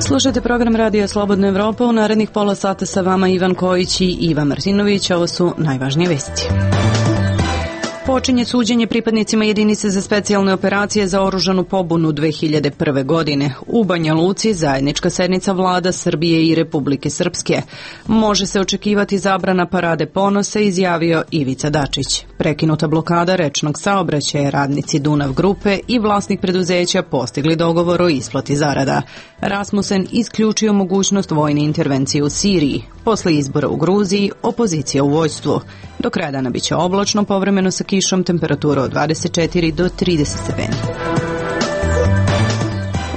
Slušajte program Radija Slobodna Evropa. U narednih pola sata sa vama Ivan Kojić i Iva Martinović. Ovo su najvažnije vesti. Počinje suđenje pripadnicima jedinice za specijalne operacije za oružanu pobunu 2001. godine. U Banja Luci zajednička sednica vlada Srbije i Republike Srpske. Može se očekivati zabrana parade ponosa, izjavio Ivica Dačić. Prekinuta blokada rečnog saobraćaja, radnici Dunav grupe i vlasnik preduzeća postigli dogovor o isplati zarada. Rasmussen isključio mogućnost vojne intervencije u Siriji. Posle izbora u Gruziji, opozicija u vojstvu. Do kraja dana biće oblačno, povremeno sa kišom, temperatura od 24 do 30 stepeni.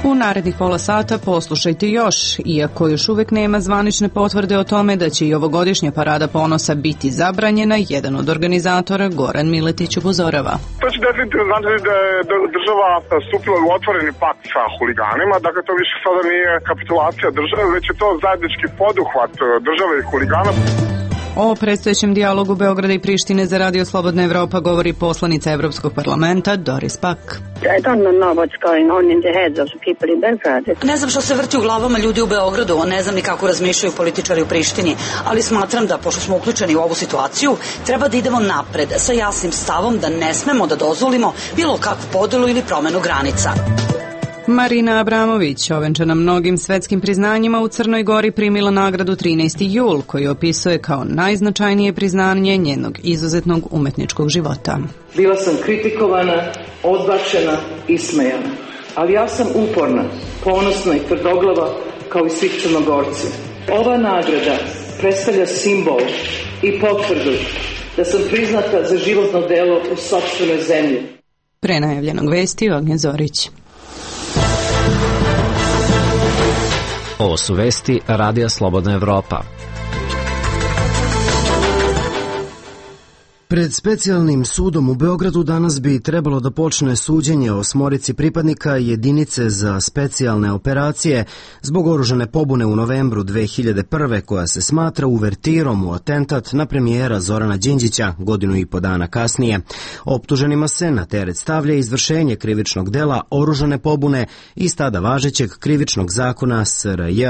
U narednih pola sata poslušajte još, iako još uvek nema zvanične potvrde o tome da će i ovogodišnja parada ponosa biti zabranjena, jedan od organizatora, Goran Miletić, upozorava. To će definitivno znači da je država stupila u otvoreni pakt sa huliganima, dakle to više sada nije kapitulacija države, već je to zajednički poduhvat države i huligana. O predstojećem dijalogu Beograda i Prištine za Radio Slobodna Evropa govori poslanica Evropskog parlamenta Doris Pack. Ne znam što se vrti u glavama ljudi u Beogradu, ne znam ni kako razmišljaju političari u Prištini, ali smatram da, pošto smo uključeni u ovu situaciju, treba da idemo napred sa jasnim stavom da ne smemo da dozvolimo bilo kakvu podelu ili promenu granica. Marina Abramović, ovenčana mnogim svetskim priznanjima, u Crnoj Gori primila nagradu 13. jul, koju opisuje kao najznačajnije priznanje njenog izuzetnog umetničkog života. Bila sam kritikovana, odbačena, ismejana, ali ja sam uporna, ponosna i tvrdoglava kao i svi Crnogorci. Ova nagrada predstavlja simbol i potvrdu da sam priznata za životno delo u sopstvenoj zemlji. Pre najavljenog vesti, Ognjen Zorić. Ovo su vesti Radija Slobodna Evropa. Pred specijalnim sudom u Beogradu danas bi trebalo da počne suđenje o 8 pripadnika jedinice za specijalne operacije zbog oružane pobune u novembru 2001. koja se smatra uvertirom u atentat na premijera Zorana Đinđića godinu i po dana kasnije. Optuženima se na teret stavlja izvršenje krivičnog dela oružane pobune iz tada važećeg krivičnog zakona SRJ.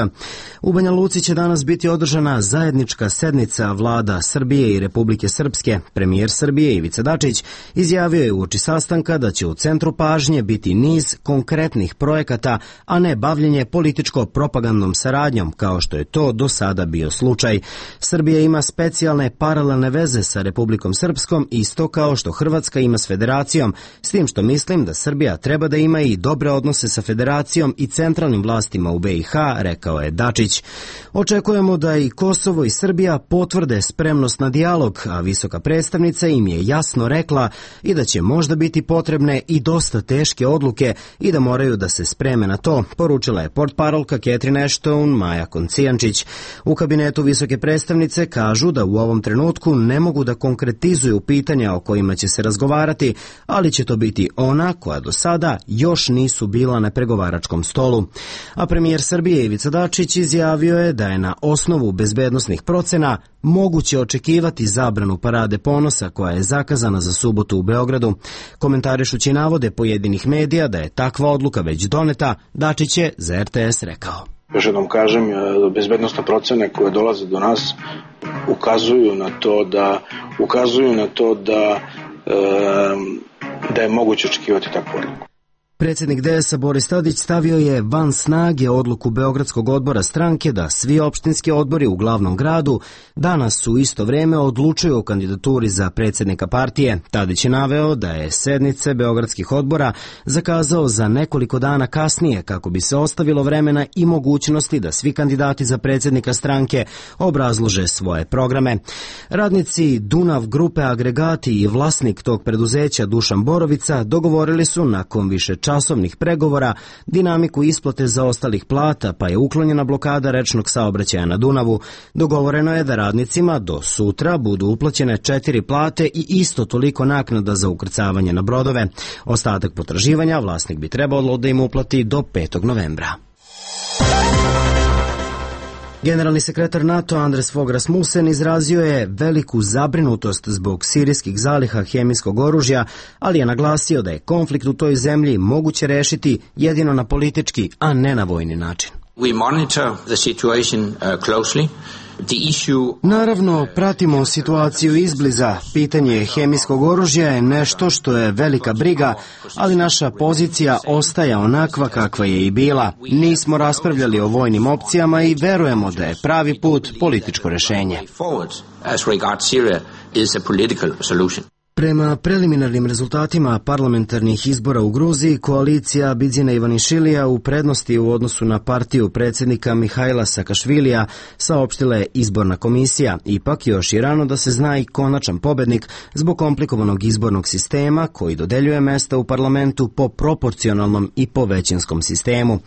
U Banja Luci će danas biti održana zajednička sednica vlada Srbije i Republike Srpske. Premijer Srbije Ivica Dačić izjavio je uoči sastanka da će u centru pažnje biti niz konkretnih projekata, a ne bavljenje političko-propagandnom saradnjom, kao što je to do sada bio slučaj. Srbija ima specijalne paralelne veze sa Republikom Srpskom, isto kao što Hrvatska ima s Federacijom, s tim što mislim da Srbija treba da ima i dobre odnose sa Federacijom i centralnim vlastima u BiH, rekao je Dačić. Očekujemo da i Kosovo i Srbija potvrde spremnost na dijalog, a visoka predstavnica im je jasno rekla i da će možda biti potrebne i dosta teške odluke i da moraju da se spreme na to, poručila je portparolka Catherine Ashton Maja Koncijančić. U kabinetu visoke predstavnice kažu da u ovom trenutku ne mogu da konkretizuju pitanja o kojima će se razgovarati, ali će to biti ona koja do sada još nisu bila na pregovaračkom stolu. A premijer Srbije Ivica Dačić izjavio je da je na osnovu bezbednosnih procena moguće očekivati zabranu parade ponosa koja je zakazana za subotu u Beogradu. Komentarišući navode pojedinih medija da je takva odluka već doneta, Dačić je za RTS rekao. Još jednom kažem, bezbednosne procene koje dolaze do nas ukazuju na to da je moguće očekivati takvu odluku. Predsjednik DS-a Boris Tadić stavio je van snage odluku Beogradskog odbora stranke da svi opštinski odbori u glavnom gradu danas u isto vrijeme odlučuju o kandidaturi za predsjednika partije. Tadić je naveo da je sednice Beogradskih odbora zakazao za nekoliko dana kasnije kako bi se ostavilo vremena i mogućnosti da svi kandidati za predsjednika stranke obrazlože svoje programe. Radnici Dunav grupe Agregati i vlasnik tog preduzeća Dušan Borovica dogovorili su nakon više časovnih pregovora dinamiku isplate zaostalih plata, pa je uklonjena blokada rečnog saobraćaja na Dunavu. Dogovoreno je da radnicima do sutra budu uplaćene 4 plate i isto toliko naknada za ukrcavanje na brodove. Ostatak potraživanja vlasnik bi trebalo da im uplati do 5. novembra. Generalni sekretar NATO Anders Fogh Rasmussen izrazio je veliku zabrinutost zbog sirijskih zaliha hemijskog oružja, ali je naglasio da je konflikt u toj zemlji moguće rešiti jedino na politički, a ne na vojni način. We monitor the situation closely. Naravno, pratimo situaciju izbliza. Pitanje hemijskog oružja je nešto što je velika briga, ali naša pozicija ostaje onakva kakva je i bila. Nismo raspravljali o vojnim opcijama i verujemo da je pravi put političko rešenje. Prema preliminarnim rezultatima parlamentarnih izbora u Gruziji, koalicija Bidzina Ivanišvilija u prednosti u odnosu na partiju predsjednika Mihajla Sakašvilija, saopštila je izborna komisija. Ipak još i rano da se zna i konačan pobednik zbog komplikovanog izbornog sistema koji dodeljuje mesta u parlamentu po proporcionalnom i po većinskom sistemu.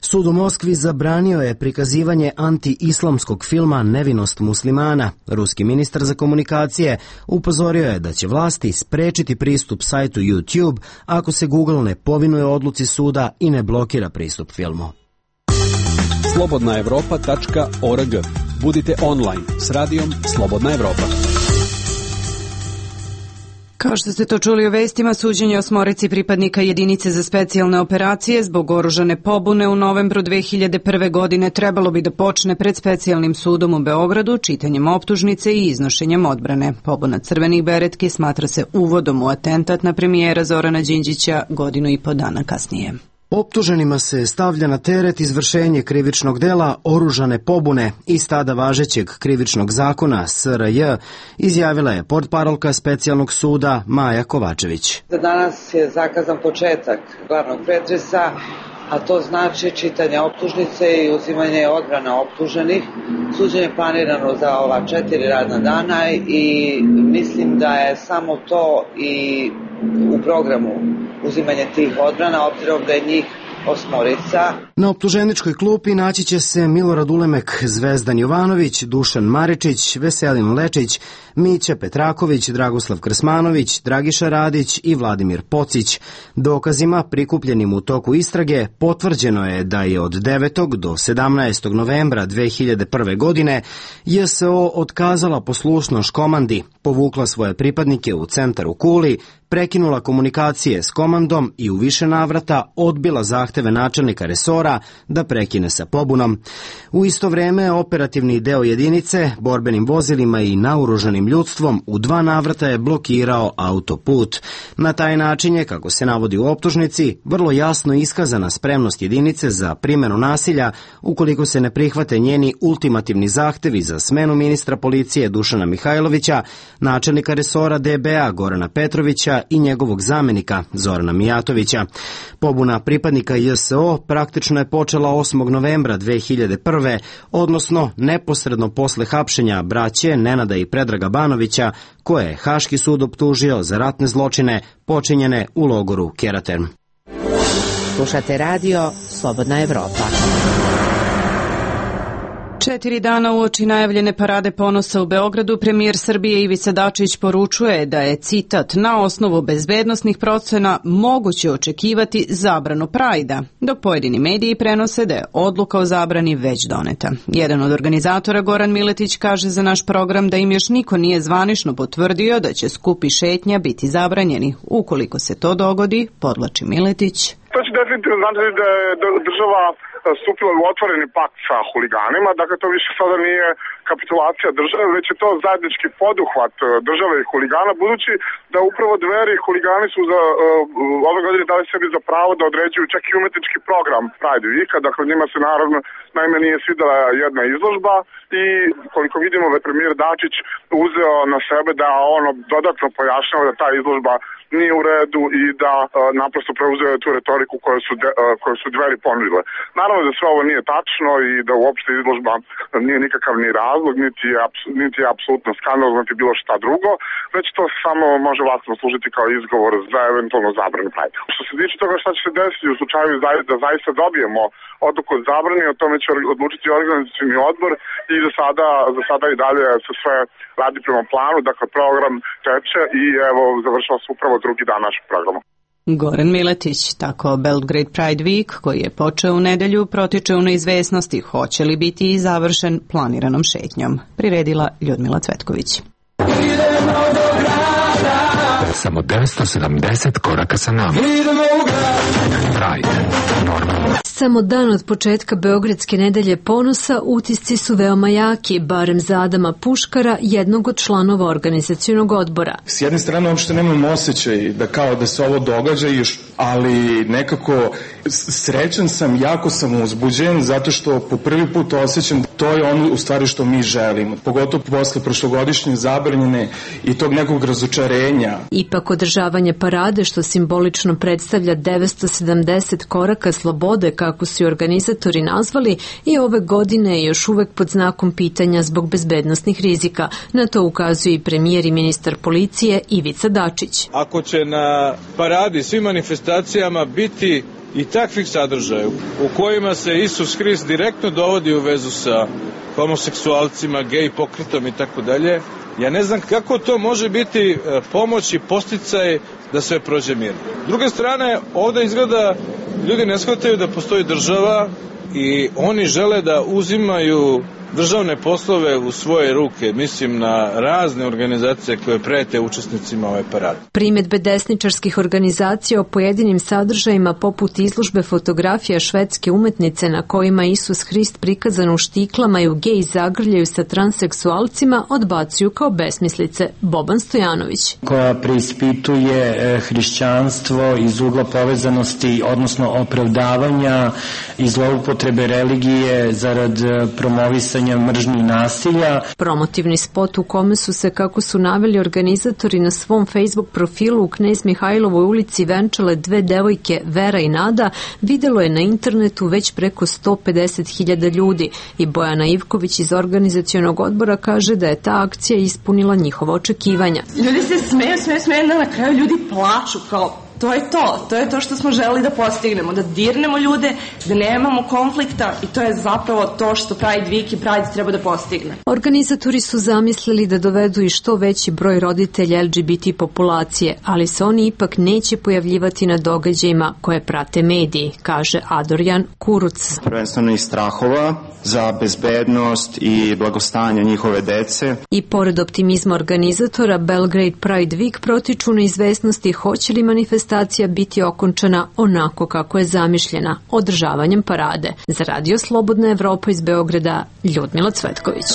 Sud u Moskvi zabranio je prikazivanje anti-islamskog filma Nevinost muslimana. Ruski ministar za komunikacije upozorio je da će vlasti sprečiti pristup sajtu YouTube ako se Google ne povinuje odluci suda i ne blokira pristup filmu. slobodnaevropa.org. Budite online s radijom Slobodna Evropa. Kao što ste to čuli u vestima, suđenje osmorici pripadnika jedinice za specijalne operacije zbog oružane pobune u novembru 2001. godine trebalo bi da počne pred specijalnim sudom u Beogradu čitanjem optužnice i iznošenjem odbrane. Pobuna crvenih beretki smatra se uvodom u atentat na premijera Zorana Đinđića 1.5 godina kasnije. Optuženima se stavlja na teret izvršenje krivičnog dela oružane pobune iz tada važećeg krivičnog zakona SRJ, izjavila je portparolka specijalnog suda Maja Kovačević. Za danas je zakazan početak glavnog pretresa, a to znači čitanje optužnice i uzimanje odbrane optuženih. Suđenje je planirano za ova 4 radna dana i mislim da je samo to i u programu uzimanje tih odbrana, obzirom da je njih 8. Na optuženičkoj klupi naći će se Milorad Ulemek, Zvezdan Jovanović, Dušan Maričić, Veselin Lečić, Mića Petraković, Dragoslav Krsmanović, Dragiša Radić i Vladimir Pocić. Dokazima prikupljenim u toku istrage potvrđeno je da je od 9. do 17. novembra 2001. godine JSO otkazala poslušnost komandi, povukla svoje pripadnike u centar u Kuli, prekinula komunikacije s komandom i u više navrata odbila zahteve načelnika resora da prekine sa pobunom. U isto vreme operativni deo jedinice borbenim vozilima i naoružanim ljudstvom u 2 navrata je blokirao autoput. Na taj način je, kako se navodi u optužnici, vrlo jasno iskazana spremnost jedinice za primjenu nasilja ukoliko se ne prihvate njeni ultimativni zahtevi za smenu ministra policije Dušana Mihajlovića, načelnika resora DBA Gorana Petrovića i njegovog zamenika Zorana Mijatovića. Pobuna pripadnika JSO praktično je počela 8. novembra 2001. odnosno neposredno posle hapšenja braće Nenada i Predraga Banovića, koje je Haški sud optužio za ratne zločine počinjene u logoru Keraterm. Slušate radio Slobodna Evropa. 4 dana uoči najavljene parade ponosa u Beogradu, premijer Srbije Ivica Dačić poručuje da je, citat, na osnovu bezbednosnih procena moguće očekivati zabranu Prajda, dok pojedini mediji prenose da je odluka o zabrani već doneta. Jedan od organizatora, Goran Miletić, kaže za naš program da im još niko nije zvanično potvrdio da će skupi šetnja biti zabranjeni. Ukoliko se to dogodi, podvlači Miletić, to će definitivno znači da je država stupila u otvoreni pakt sa huliganima, dakle to više sada nije kapitulacija države, već je to zajednički poduhvat države i huligana, budući da upravo Dveri i huligani su ove godine dali sebi za pravo da određuju čak i umetnički program Pride Weeka, dakle njima se naravno naime nije svidela jedna izložba i koliko vidimo da je premijer Dačić uzeo na sebe da ono dodatno pojašnjava da ta izložba nije u redu i da naprosto preuzeo tu retoriku koju su Dveri ponudile. Naravno da sve ovo nije tačno i da uopšte izložba nije nikakav ni razlog, niti je apsolutno skandalozno, niti bilo šta drugo, već to samo može vlastno služiti kao izgovor za eventualno zabranu Prajda. Što se tiče toga šta će se desiti u slučaju da zaista dobijemo odluku od zabrane, o tome će odlučiti organizacioni odbor i za sada i dalje se sve radi prema planu, dakle program teče i evo završava se upravo drugi dan našeg programa. Goran Miletić. Tako Belgrade Pride Week, koji je počeo u nedelju, protiče u neizvesnosti hoće li biti i završen planiranom šetnjom. Priredila Ljudmila Cvetković. Samo 970 koraka sa nama. Pride, normalno. Samo dan od početka Beogradske nedelje ponosa utisci su veoma jaki, barem za Adama Puškara, jednog od članova organizacionog odbora. S jedne strane uopšte nemam osjećaj da kao da se ovo događa, ali nekako srećan sam, jako sam uzbuđen zato što po prvi put osjećam to je ono u stvari što mi želimo. Pogotovo posle prošlogodišnje zabranjene i tog nekog razočarenja. Ipak održavanje parade što simbolično predstavlja 970 koraka slobode, kako su organizatori nazvali, i ove godine je još uvek pod znakom pitanja zbog bezbednosnih rizika. Na to ukazuje i premijer i ministar policije Ivica Dačić. Ako će na paradi svim manifestacijama biti i takvih sadržaja u kojima se Isus Hrist direktno dovodi u vezu sa homoseksualcima, gej pokretom i tako dalje, ja ne znam kako to može biti pomoć i posticaj da sve prođe mirno. S druge strane, ovde izgleda ljudi ne shvataju da postoji država i oni žele da uzimaju državne poslove u svoje ruke, mislim na razne organizacije koje prete učesnicima ove parade. Primedbe desničarskih organizacija o pojedinim sadržajima poput izložbe fotografija švedske umetnice na kojima Isus Hrist prikazan u štiklama i u gej zagrljaju sa transseksualcima odbacuju kao besmislice. Boban Stojanović. Koja preispituje hrišćanstvo iz ugla povezanosti, odnosno opravdavanja i zloupotrebe religije zarad promovisanja mržnje i nasilja. Promotivni spot u kome su se, kako su naveli organizatori na svom Facebook profilu u Knez Mihajlovoj ulici venčale dve devojke, Vera i Nada, videlo je na internetu već preko 150.000 ljudi i Bojana Ivković iz organizacionog odbora kaže da je ta akcija ispunila njihova očekivanja. Ljudi se smeju, na kraju ljudi plaču kao to je to što smo želeli da postignemo, da dirnemo ljude, da nemamo konflikta i to je zapravo to što Pride Week i Pride treba da postigne. Organizatori su zamislili da dovedu i što veći broj roditelja LGBT populacije, ali se oni ipak neće pojavljivati na događajima koje prate mediji, kaže Adorjan Kuruc. Prvenstveno iz strahova za bezbednost i blagostanje njihove dece. I pored optimizma organizatora, Belgrade Pride Week protiču neizvesnosti hoće li manifestacija biti okončana onako kako je zamišljena, održavanjem parade. Za Radio Slobodna Evropa iz Beograda, Ljudmila Cvetković.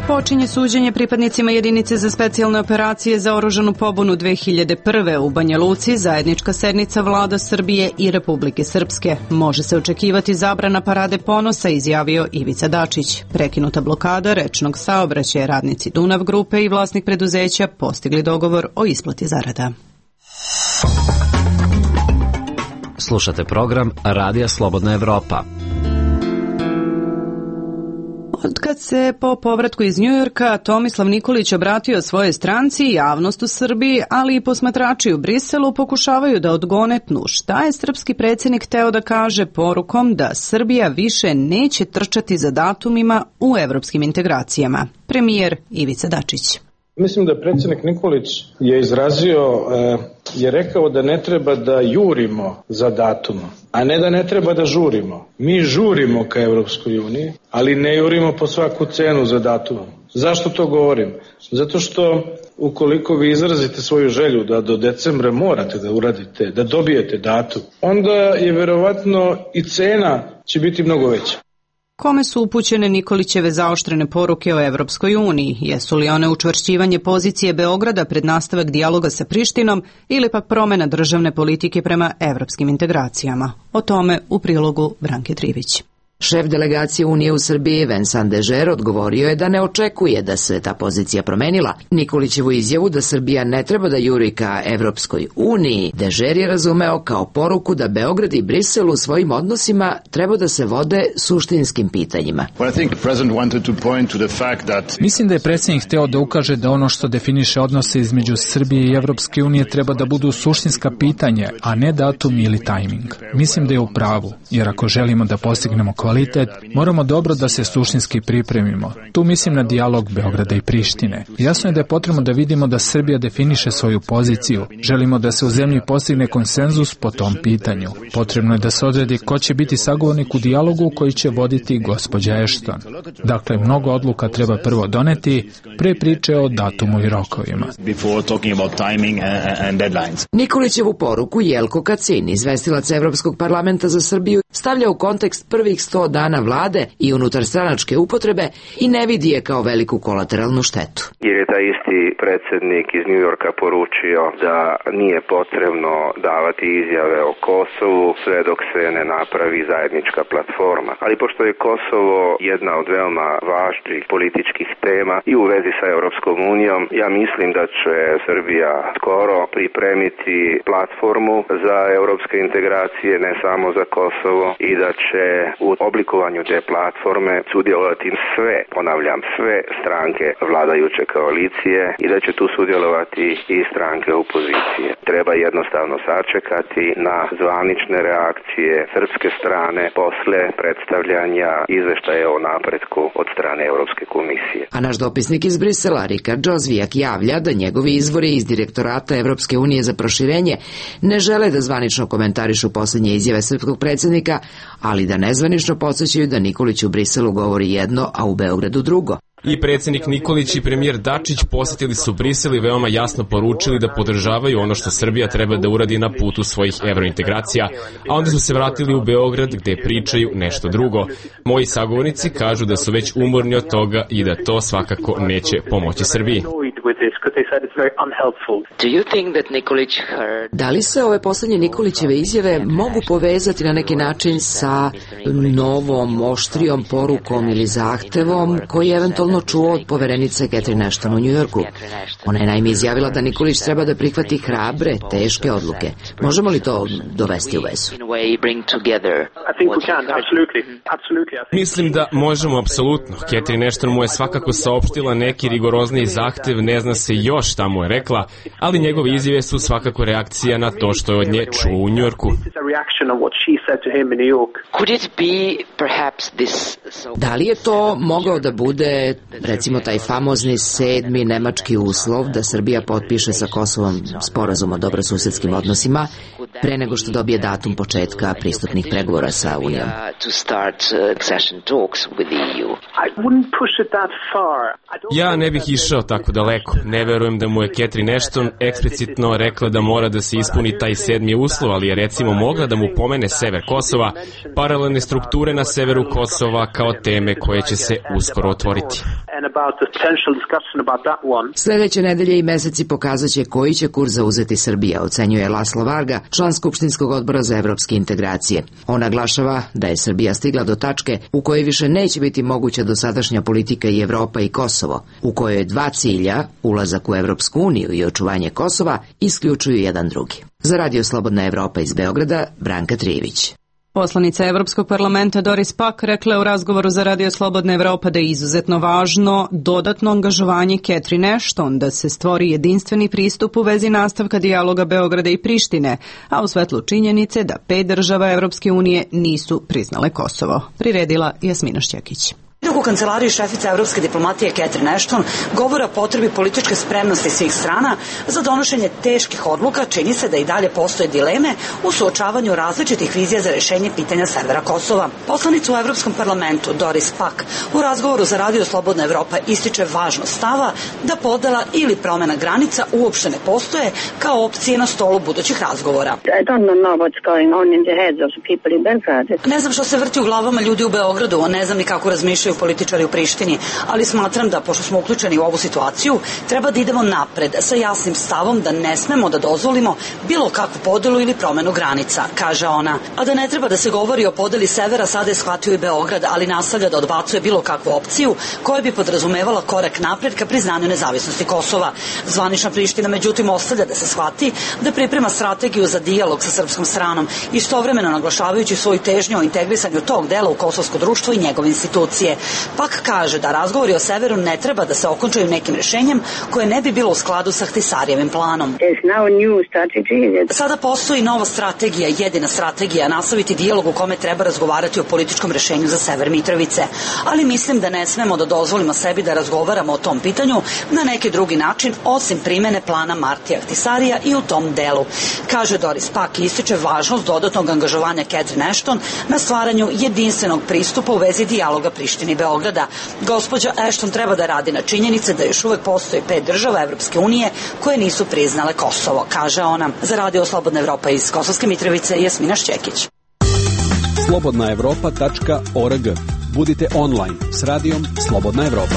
Počinje suđenje pripadnicima jedinice za specijalne operacije za oružanu pobunu 2001. u Banja Luci, zajednička sednica vlada Srbije i Republike Srpske. Može se očekivati zabrana parade ponosa, izjavio Ivica Dačić. Prekinuta blokada rečnog saobraćaja, radnici Dunav grupe i vlasnik preduzeća postigli dogovor o isplati zarada. Slušate program Radija Slobodna Evropa. Otkad se po povratku iz Njujorka Tomislav Nikolić obratio svojoj stranci, javnost u Srbiji, ali i posmatrači u Briselu pokušavaju da odgonetnu šta je srpski predsjednik hteo da kaže porukom da Srbija više neće trčati za datumima u evropskim integracijama. Premijer Ivica Dačić. Mislim da predsjednik Nikolić je rekao da ne treba da jurimo za datumom, a ne da ne treba da žurimo. Mi žurimo ka Evropskoj uniji, ali ne jurimo po svaku cenu za datumom. Zašto to govorim? Zato što ukoliko vi izrazite svoju želju da do decembra morate da uradite, da dobijete datum, onda je verovatno i cena će biti mnogo veća. Kome su upućene Nikolićeve zaoštrene poruke o Evropskoj uniji? Jesu li one učvršćivanje pozicije Beograda pred nastavak dijaloga sa Prištinom ili pak promjena državne politike prema evropskim integracijama? O tome u prilogu Branke Trivić. Šef delegacije Unije u Srbiji Vincent Dežer odgovorio je da ne očekuje da se ta pozicija promenila. Nikolićevu izjavu da Srbija ne treba da juri ka Evropskoj uniji, Dežer je razumeo kao poruku da Beograd i Brisel u svojim odnosima treba da se vode suštinskim pitanjima. Mislim da je predsjednik hteo da ukaže da ono što definiše odnose između Srbije i Evropske unije treba da budu suštinska pitanja, a ne datum ili tajming. Mislim da je u pravu, jer ako želimo da postignemo kvalitet, moramo dobro da se suštinski pripremimo. Tu mislim na dijalog Beograda i Prištine. Jasno je da je potrebno da vidimo da Srbija definiše svoju poziciju. Želimo da se u zemlji postigne konsenzus po tom pitanju. Potrebno je da se odredi ko će biti sagovornik u dijalogu koji će voditi gospođa Ashton. Dakle, mnogo odluka treba prvo doneti pre priče o datumu i rokovima. Nikolićevu poruku Jelko Kacin, izvestilac Evropskog parlamenta za Srbiju, stavlja u kontekst prvih 100 dana vlade i unutarstranačke upotrebe i ne vidi je kao veliku kolateralnu štetu. Jer je taj isti predsjednik iz New Yorka poručio da nije potrebno davati izjave o Kosovu sve dok se ne napravi zajednička platforma. Ali pošto je Kosovo jedna od veoma važnih političkih tema i u vezi sa Europskom unijom, ja mislim da će Srbija skoro pripremiti platformu za europske integracije, ne samo za Kosovo, i da će u oblikovanju te platforme sudjelovati sve stranke vladajuće koalicije i da će tu sudjelovati i stranke opozicije. Treba jednostavno sačekati na zvanične reakcije srpske strane posle predstavljanja izveštaja o napretku od strane Europske komisije. A naš dopisnik iz Brisela, Rikard Džozvijak, javlja da njegovi izvori iz Direktorata Evropske unije za proširenje ne žele da zvanično komentarišu poslednje izjave srpskog predsjednika, ali da nezvanično podsjećaju da Nikolić u Briselu govori jedno, a u Beogradu drugo. I predsjednik Nikolić i premijer Dačić posjetili su Brisel i veoma jasno poručili da podržavaju ono što Srbija treba da uradi na putu svojih evrointegracija, a onda su se vratili u Beograd gde pričaju nešto drugo. Moji sagovornici kažu da su već umorni od toga i da to svakako neće pomoći Srbiji. Da li se ove poslednje Nikolićeve izjave mogu povezati na neki način sa novom, oštrijom porukom ili zahtevom koji je eventualno čuo od poverenice Catherine Ashton u Njujorku? Ona je naime izjavila da Nikolić treba da prihvati hrabre, teške odluke. Možemo li to dovesti u vezu? Mislim da možemo apsolutno. Catherine Ashton mu je svakako saopštila neki rigorozniji zahtev, ne zna se još šta mu je rekla, ali njegove izjave su svakako reakcija na to što je od nje čuo u Njujorku. Da li je to mogao da bude, recimo, taj famozni 7. nemački uslov da Srbija potpiše sa Kosovom sporazum o dobrosusedskim odnosima pre nego što dobije datum početka pristupnih pregovora sa Unijom? Ja ne bih išao tako daleko. Ne verujem da mu je Catherine Ashton eksplicitno rekla da mora da se ispuni taj 7. uslov, ali je recimo mogla da mu pomene sever Kosova, paralelne strukture na severu Kosova kao teme koje će se uskoro otvoriti. Sledeće nedelje i meseci pokazaće koji će kurs zauzeti Srbija, ocenjuje Laslo Varga, član Skupštinskog odbora za evropske integracije. On naglašava da je Srbija stigla do tačke u kojoj više neće biti moguća dosadašnja politika i Evropa i Kosovo, u kojoj 2 cilja, ulazak u Evropsku uniju i očuvanje Kosova, isključuju jedan drugi. Za Radio Slobodna Evropa iz Beograda, Branka Trijević. Poslanica Evropskog parlamenta Doris Pack rekla je u razgovoru za Radio Slobodna Evropa da je izuzetno važno dodatno angažovanje Catherine Ashton da se stvori jedinstveni pristup u vezi nastavka dijaloga Beograda i Prištine, a u svetlu činjenice da 5 država Evropske unije nisu priznale Kosovo. Priredila Jasmina Šćekić. U kancelariji šefica evropske diplomatije Catherine Ashton govore o potrebi političke spremnosti svih strana za donošenje teških odluka. Čini se da i dalje postoje dileme u suočavanju različitih vizija za rešenje pitanja severa Kosova. Poslanica u Evropskom parlamentu Doris Pack u razgovoru za Radio Slobodna Evropa ističe važnost stava da podela ili promena granica uopšte ne postoje kao opcije na stolu budućih razgovora. Ne znam što se vrti u glavama ljudi u Beogradu, ne znam ni kako razmišljaju političari u Prištini, ali smatram da, pošto smo uključeni u ovu situaciju, treba da idemo napred sa jasnim stavom da ne smemo da dozvolimo bilo kakvu podelu ili promenu granica, kaže ona. A da ne treba da se govori o podeli severa, sada je shvatio i Beograd, ali nastavlja da odbacuje bilo kakvu opciju koja bi podrazumevala korak napred ka priznanju nezavisnosti Kosova. Zvanična Priština, međutim, ostavlja da se shvati da priprema strategiju za dijalog sa srpskom stranom, istovremeno naglašavajući svoju težnju o integrisanju tog dela u kosovsko društvo i njegove institucije. Pak kaže da razgovori o severu ne treba da se okončaju nekim rešenjem koje ne bi bilo u skladu sa Ahtisarijevim planom. Sada postoji nova strategija, jedina strategija, nastaviti dijalog u kome treba razgovarati o političkom rešenju za sever Mitrovice, ali mislim da ne smemo da dozvolimo sebi da razgovaramo o tom pitanju na neki drugi način osim primene plana Martija Ahtisarija i u tom delu. Kaže Doris Pack i ističe važnost dodatnog angažovanja Catherine Ashton na stvaranju jedinstvenog pristupa u vezi dijaloga Prištine i Beograda. Gospođa Ashton treba da radi na činjenice da još uvek postoji 5 država Evropske unije koje nisu priznale Kosovo, kaže ona. Za Radio Slobodna Evropa iz Kosovske Mitrovice, Jasmina Šćekić. slobodnaevropa.org. Budite online s radijom Slobodna Evropa.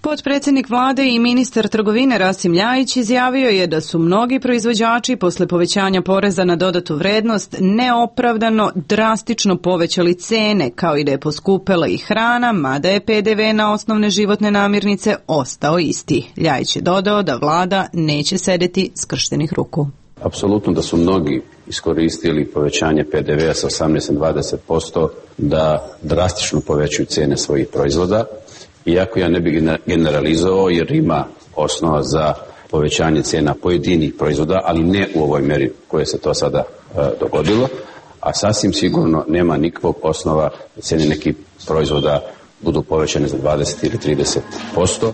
Potpredsjednik vlade i ministar trgovine Rasim Ljajić izjavio je da su mnogi proizvođači posle povećanja poreza na dodatu vrednost neopravdano drastično povećali cene, kao i da je poskupela i hrana, mada je PDV na osnovne životne namirnice ostao isti. Ljajić je dodao da vlada neće sedeti skrštenih ruku. Apsolutno da su mnogi iskoristili povećanje PDV-a sa 18 na 20% da drastično povećaju cene svojih proizvoda. Iako ja ne bih generalizovao jer ima osnova za povećanje cena pojedinih proizvoda, ali ne u ovoj meri koje se to sada dogodilo, a sasvim sigurno nema nikakvog osnova da cene nekih proizvoda budu povećane za 20 ili 30%.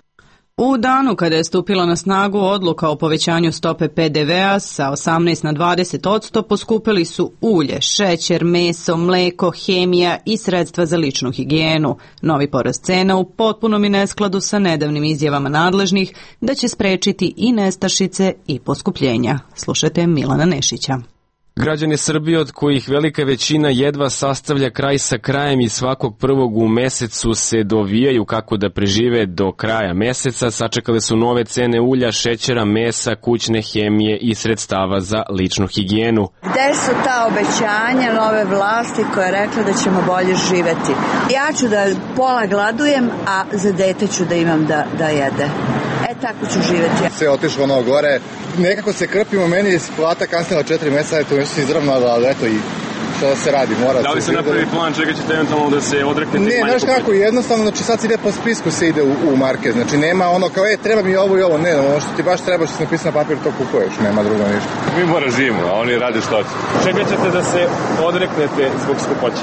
U danu kada je stupila na snagu odluka o povećanju stope PDV-a sa 18 na 20%, poskupili su ulje, šećer, meso, mleko, hemija i sredstva za ličnu higijenu. Novi porast cena u potpunom je neskladu sa nedavnim izjavama nadležnih da će sprečiti i nestašice i poskupljenja. Slušajte Milana Nešića. Građani Srbije, od kojih velika većina jedva sastavlja kraj sa krajem i svakog prvog u mesecu se dovijaju kako da prežive do kraja meseca, sačekale su nove cene ulja, šećera, mesa, kućne hemije i sredstava za ličnu higijenu. Gde su ta obećanja nove vlasti koja je rekla da ćemo bolje živeti? Ja ću da pola gladujem, a za dete ću da imam da jede. Tako ću živeti. Sve otišlo ono gore, nekako se krpimo, meni je plata kasnila 4 meseca, to nešto izravnalo, ali eto i što da se radi, mora se... Da li se napravi plan čega ćete eventualno da se odreknete? Ne, znaš kako, jednostavno, znači sad se ide po spisku se ide u market, znači nema ono kao, treba mi ovo i ovo, ne, ono što ti baš treba što se napisano na papir, to kupuješ, nema drugo ništa. Mi mora živimo, a oni rade što će. Čega ćete da se odreknete zbog skupoće?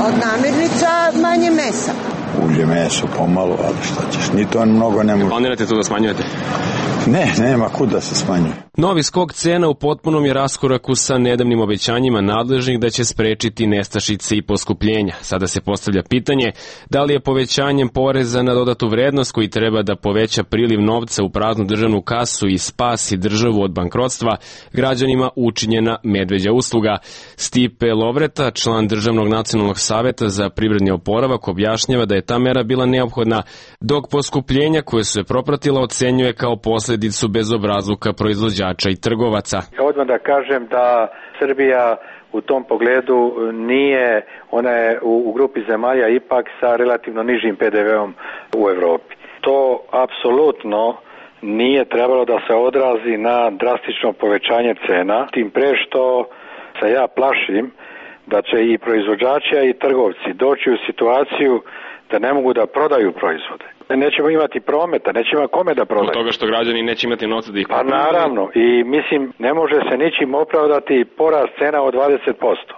Od namirnica manje mesa. Ulje, meso, pomalo, ali šta ćeš, ni to mnogo ne može. Planirate to da smanjujete? Ne, nema kud da se smanjuje. Novi skok cena u potpunom je raskoraku sa nedavnim obećanjima nadležnih da će sprečiti nestašice i poskupljenja. Sada se postavlja pitanje da li je povećanjem poreza na dodatu vrednost koji treba da poveća priliv novca u praznu državnu kasu i spasi državu od bankrotstva građanima učinjena medveđa usluga. Stipe Lovreta, član Državnog nacionalnog saveta za privredni oporavak, objašnjava da je ta mera bila neophodna, dok poskupljenja koje su je propratila ocenjuje kao posledicu bezobrazluka proizvođača i trgovaca. Odmah da kažem da Srbija u tom pogledu nije, ona je u grupi zemalja ipak sa relativno nižim PDV-om u Evropi. To apsolutno nije trebalo da se odrazi na drastično povećanje cena, tim pre što se ja plašim da će i proizvođači i trgovci doći u situaciju da ne mogu da prodaju proizvode. Nećemo imati prometa, nećemo kome da prodaju. Od toga što građani neće imati novca da ih kupuju. Pa naravno, i mislim, ne može se ničim opravdati porast cena od 20%.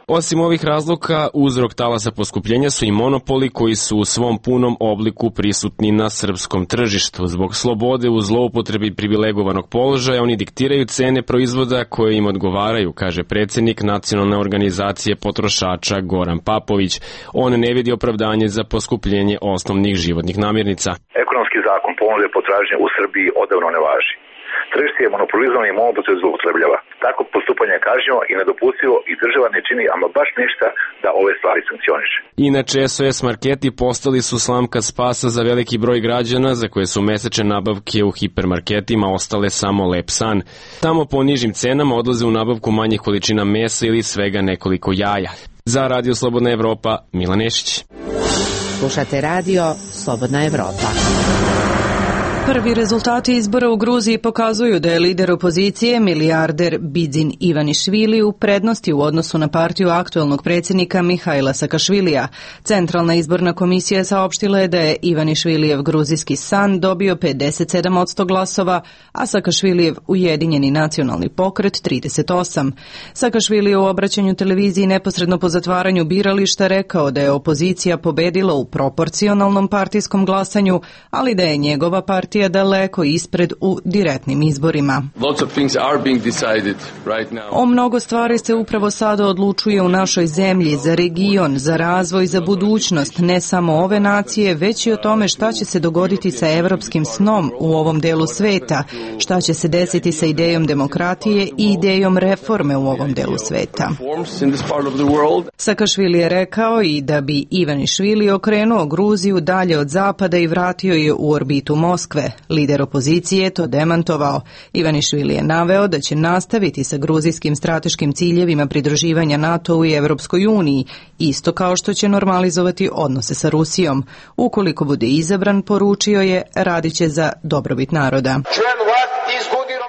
Osim ovih razloga, uzrok talasa poskupljenja su i monopoli koji su u svom punom obliku prisutni na srpskom tržištu. Zbog slobode u zloupotrebi privilegovanog položaja, oni diktiraju cene proizvoda koje im odgovaraju, kaže predsjednik Nacionalne organizacije potrošača Goran Papović. On ne vidi opravdanje za poskupljenje osnovnih životnih namirnica. Ekonomski zakon ponude i potražnje u Srbiji odavno ne važi. Tržište je monopolizovano i monopol se zloupotrebljava. Tako postupanje je kažnjivo i nedopustivo i država ne čini ama baš ništa da ove stvari sankcioniše. Inače, SOS marketi postali su slamka spasa za veliki broj građana za koje su mesečne nabavke u hipermarketima ostale samo lep san. Tamo po nižim cenama odlaze u nabavku manjih količina mesa ili svega nekoliko jaja. Za Radio Slobodna Evropa, Milan Nešić. Slušate Radio Slobodna Evropa. Prvi rezultati izbora u Gruziji pokazuju da je lider opozicije, milijarder Bidzin Ivanišvili, u prednosti u odnosu na partiju aktuelnog predsjednika Mihajla Sakašvilija. Centralna izborna komisija saopštila je da je Ivanišvilijev gruzijski san dobio 57% glasova, a Sakašvilijev Ujedinjeni nacionalni pokret 38%. Sakašvili je u obraćanju televiziji neposredno po zatvaranju birališta rekao da je opozicija pobedila u proporcionalnom partijskom glasanju, ali da je njegova partija daleko ispred u direktnim izborima. O mnogo stvari se upravo sada odlučuje u našoj zemlji, za region, za razvoj, za budućnost, ne samo ove nacije, već i o tome šta će se dogoditi sa evropskim snom u ovom delu sveta, šta će se desiti sa idejom demokratije i idejom reforme u ovom delu sveta. Sakašvili je rekao i da bi Ivanišvili okrenuo Gruziju dalje od zapada i vratio je u orbitu Moskve. Lider opozicije je to demantovao. Ivanišvili je naveo da će nastaviti sa gruzijskim strateškim ciljevima pridruživanja NATO-u i Evropskoj uniji, isto kao što će normalizovati odnose sa Rusijom. Ukoliko bude izabran, poručio je, radit će za dobrobit naroda.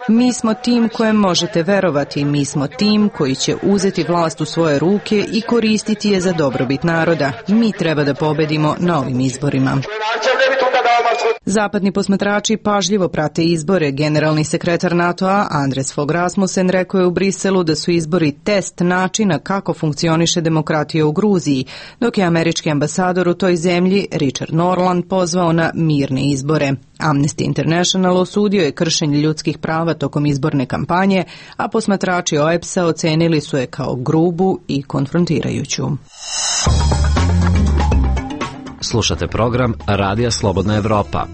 Mi smo tim kojem možete verovati, mi smo tim koji će uzeti vlast u svoje ruke i koristiti je za dobrobit naroda. Mi treba da pobedimo na ovim izborima. Zapadni posmatrači pažljivo prate izbore. Generalni sekretar NATO-a Anders Fogh Rasmussen rekao je u Briselu da su izbori test načina kako funkcioniše demokratija u Gruziji, dok je američki ambasador u toj zemlji Richard Norland pozvao na mirne izbore. Amnesty International osudio je kršenje ljudskih prava tokom izborne kampanje, a posmatrači OEBS-a ocenili su je kao grubu i konfrontirajuću. Slušate program Radija Slobodna Evropa.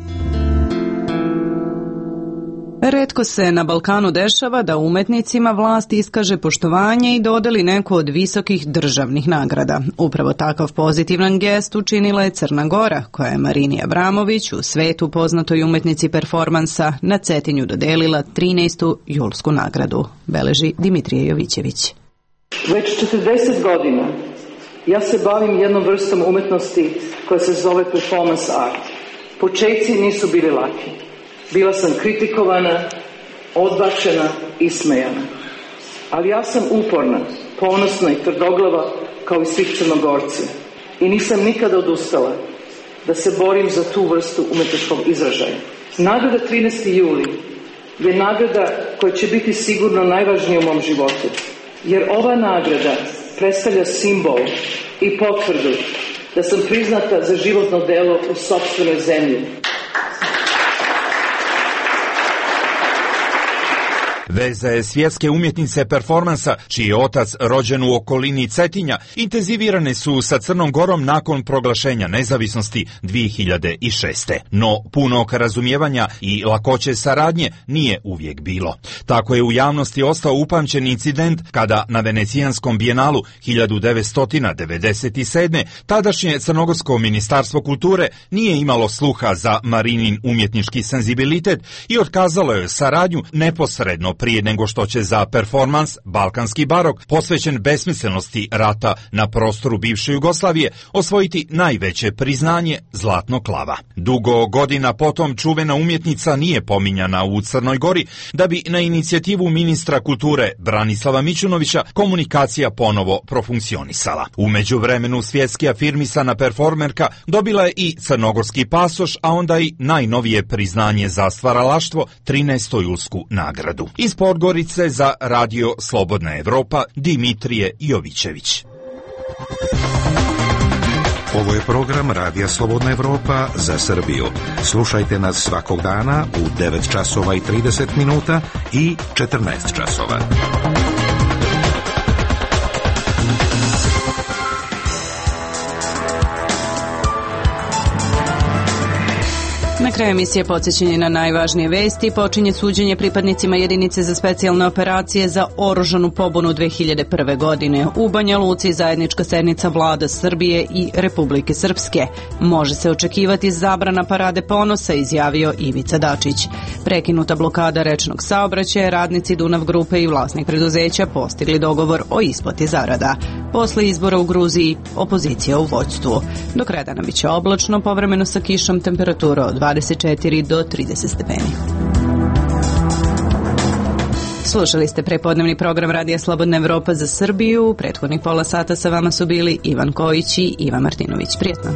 Retko se na Balkanu dešava da umetnicima vlast iskaže poštovanje i dodeli neku od visokih državnih nagrada. Upravo takav pozitivan gest učinila je Crna Gora, koja je Marini Abramović, u svetu poznatoj umetnici performansa, na Cetinju dodelila 13. julsku nagradu, beleži Dimitrije Jovićević. Već 40 godina ja se bavim jednom vrstom umetnosti koja se zove performance art. Početci nisu bili laki. Bila sam kritikovana, odbačena, ismejana. Ali ja sam uporna, ponosna i tvrdoglava kao i svih Crnogorci. I nisam nikada odustala da se borim za tu vrstu umetničkog izražaja. Nagrada 13. juli je nagrada koja će biti sigurno najvažnija u mom životu. Jer ova nagrada predstavlja simbol i potvrdu da sam priznata za životno delo u sopstvenoj zemlji. Veza je svjetske umjetnice performansa, čiji je otac rođen u okolini Cetinja, intenzivirane su sa Crnom Gorom nakon proglašenja nezavisnosti 2006. No, punog razumijevanja i lakoće saradnje nije uvijek bilo. Tako je u javnosti ostao upamćen incident kada na Venecijanskom bijenalu 1997. tadašnje Crnogorsko ministarstvo kulture nije imalo sluha za Marinin umjetnički senzibilitet i otkazalo je saradnju neposredno prije nego što će za performans Balkanski barok, posvećen besmislenosti rata na prostoru bivše Jugoslavije, osvojiti najveće priznanje Zlatnog lava. Dugo godina potom čuvena umjetnica nije pominjana u Crnoj Gori, da bi na inicijativu ministra kulture Branislava Mićunovića komunikacija ponovo profunkcionisala. U međuvremenu svjetski afirmisana performerka dobila je i crnogorski pasoš, a onda i najnovije priznanje za stvaralaštvo, 13. julsku nagradu. Iz Podgorice za Radio Slobodna Evropa, Dimitrije Jovićević. Ovo je program Radija Slobodna Evropa za Srbiju. Slušajte nas svakog dana u 9 časova i 30 minuta i 14 časova. Na kraju emisije podsjećanje na najvažnije vesti. Počinje suđenje pripadnicima jedinice za specijalne operacije za oružanu pobunu 2001. godine. U Banja Luci zajednička sednica vlada Srbije i Republike Srpske. Može se očekivati zabrana parade ponosa, izjavio Ivica Dačić. Prekinuta blokada rečnog saobraćaja, radnici Dunav grupe i vlasnik preduzeća postigli dogovor o isplati zarada. Posle izbora u Gruziji, opozicija u vođstvu. Do kraja dana biće oblačno, povremeno sa kišom, temperatura od 24 do 30 stepeni. Slušali ste prepodnevni program Radija Slobodna Evropa za Srbiju. Prethodnih pola sata sa vama su bili Ivan Kojić i Iva Martinović. Prijetno.